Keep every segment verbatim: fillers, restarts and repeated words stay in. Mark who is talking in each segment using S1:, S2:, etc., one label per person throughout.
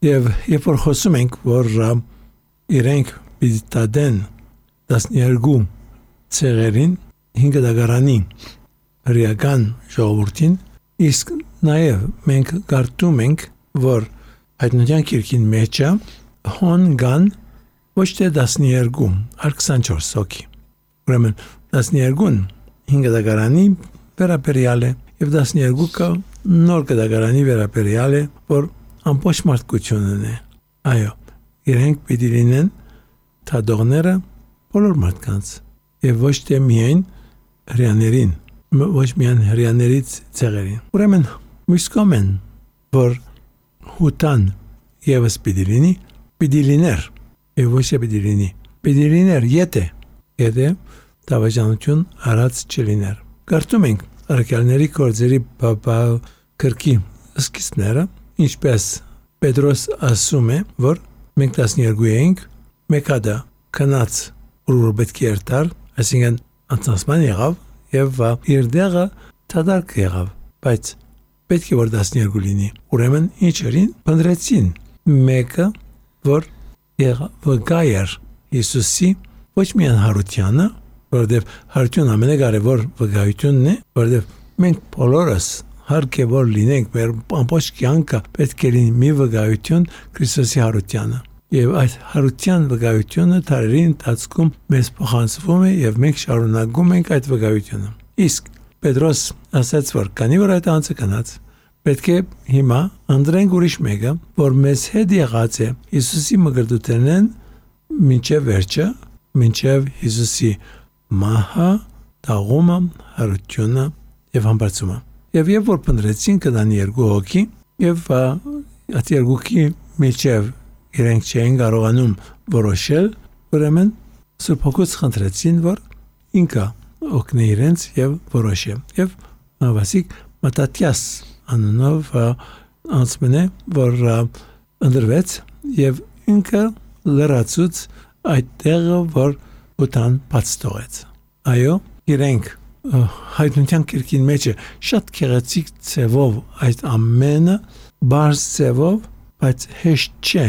S1: Եվ երբ որ խոսում ենք, որ իրենք պիտի տադեն տասներկու ցեղերին, հինգ դագարանի հրեական ժողովրդին, իսկ նաև մենք կարդում ենք, որ Հայտնության գիրքին մեջը հոն կան ոչ թե տասներկու, այլ քսանչորս հոգի։ Ուրեմն տասներկուն հինգ դագարանի վերաբերյալ է եւ տասներկուը նոր դագարանի վերաբերյալ է, որ ամբողջ մարդկությունն է։ Այո, իրենք պիտի լինեն թադողները բոլոր մարդկանց եւ ոչ թե միայն հрьяաներին, ոչ միայն հрьяաներից ցեղերին։ Ուրեմն մյուս կողմն, որ հուտան եւս պիտի լինի, պիտի լիներ եւ ոչ թե պիտի լինի։ Պիտի լիներ եթե եթե դավաճանություն արած չլիներ։ Կարդում ենք Արաքելների գործերի բաբա քրկի սկիզբները, ինչպես Պետրոս ասում է, որ մենք տասներկու ենք, մեկադա քնած որ պետք է երթար, այսինքն անցնասման եղավ եւ իր դեղը թադարք եղավ, բայց պետք է որ տասներկու լինի։ Ուրեմն ինչերին փնտրեցին մեկը, որ եղավ վկայեր Հիսուսի ոչ միայն հարությանը, որովհետև հարություն ամենակարևոր վկայությունն է, որովհետև մենք բոլորս հարկ է որ լինենք մեր ամբողջ կյանքը պետք է լինի մի վկայություն Քրիստոսի հարությանը։ Եվ այդ հարության վկայությունը տարերի ընթացքում մեզ փոխանցվում է եւ մենք շարունակում ենք այդ վկայությունը։ Իսկ Պետրոս ասաց, որ քանի որ այդ անձը կնած, պետք է հիմա անդրենք ուրիշ մեկը, որ մեզ հետ եղած է Հիսուսի մկրտութենեն մինչև վերջը, մինչև Հիսուսի մահը, տաղումը, հարությունը եւ համբարձումը։ Եվ երբ որ փնտրեցին կդան երկու հոգի եւ այդ երկուքի միջև իրենք չեն կարողանում որոշել, ուրեմն Սուրբ Հոգուց խնդրեցին, որ ինքը օգնի իրենց եւ որոշի։ Եվ Վասիկ Մատաթիաս անունով անցմենը, որ ընդրվեց եւ ինքը լրացուց այդ տեղը, որ ուտան բաց տողեց։ Այո, իրենք Հայտնության գիրքին մեջ շատ քեղեցիկ ցևով այդ ամենը բարձ ցևով, բայց հեշտ չէ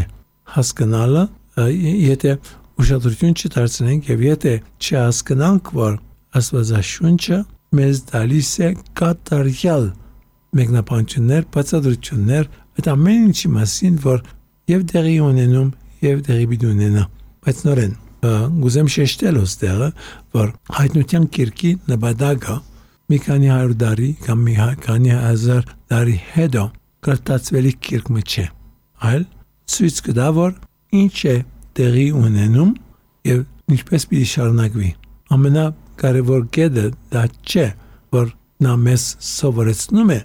S1: հասկանալը, եթե ուշադրություն չդարձնենք եւ եթե չհասկանանք, որ Աստվածաշունչը մեզ տալիս է կատարյալ մեկնաբանություններ, բացատրություններ այդ ամեն ինչի մասին, որ եւ դեղի ունենում եւ դեղի պիտի ունենա։ Բայց նորեն գուզեմ շեշտել ոստեղը, որ Հայտնության գիրքի նպատակը մի քանի հարյուր տարի կամ մի քանի հազար տարի հետո կրտածվելի գիրքը չէ, այլ ցույց կտա, որ ինչ է տեղի ունենում եւ ինչպես պիտի շարունակվի։ Ամենակարևոր կետը դա չէ, որ նա մեզ սովորեցնում է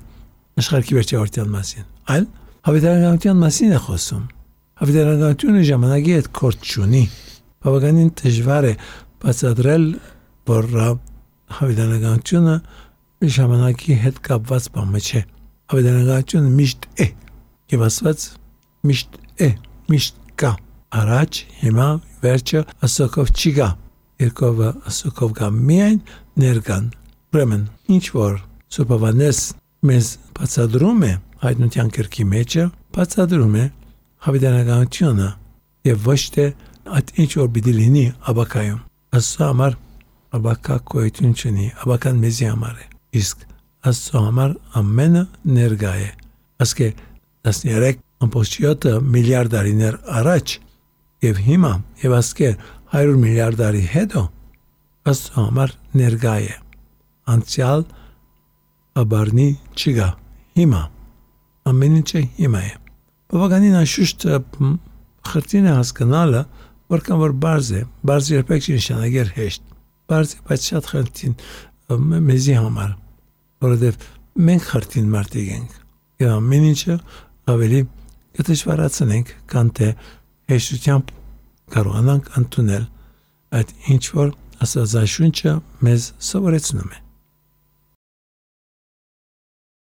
S1: աշխարհի վերջավորության մասին, այլ հավիտենականության մասին է խոսում։ Հավիտենականությունը ժամանակի հետ կորտ չունի։ Բավականին դժվար է բացատրել, որ հավիտենականությունը ժամանակի հետ կապված բան չէ։ Հավիտենականությունը միշտ է, եւ Աստված միշտ է, միշտ կա։ Առաջ, հիմա, վերջը ասոկով չի գա։ Երկովը ասոկով գա միայն ներկան։ Ուրեմն, ինչ որ Սուրբ Հովհաննես մեզ բացատրում է Հայտնության գիրքի մեջը, բացատրում է հավիտենականությունը եւ ոչ թե այդ ինչ որ պիտի լինի աբակայում։ Աստծո համար աբակա գոյություն չունի, աբական մեզի համար է։ Իսկ Աստծո համար ամենը ներկա է։ Ասկե տասներեք ամբողջ յոթ միլիարդ տարիներ առաջ եւ հիմա եւ ասկե հարյուր միլիարդ տարի հետո Աստծո համար ներկա է։ Անցյալ աբարնի չկա։ Հիմա ամեն ինչը հիմա է։ Բավականին անշուշտ խրտին է հասկանալը, որքան որ բարձ է, բարձ երբեք չի նշանակեր հեշտ, բարձ է, բայց շատ խրտին մեզի համար, որովհետև մենք խրտին մարդիկ ենք, եւ ամեն ինչը ավելի կդժվարացնենք, քան թե հեշտությամբ կարողանանք ընդունել այդ ինչ որ Աստվածաշունչը մեզ սովորեցնում է։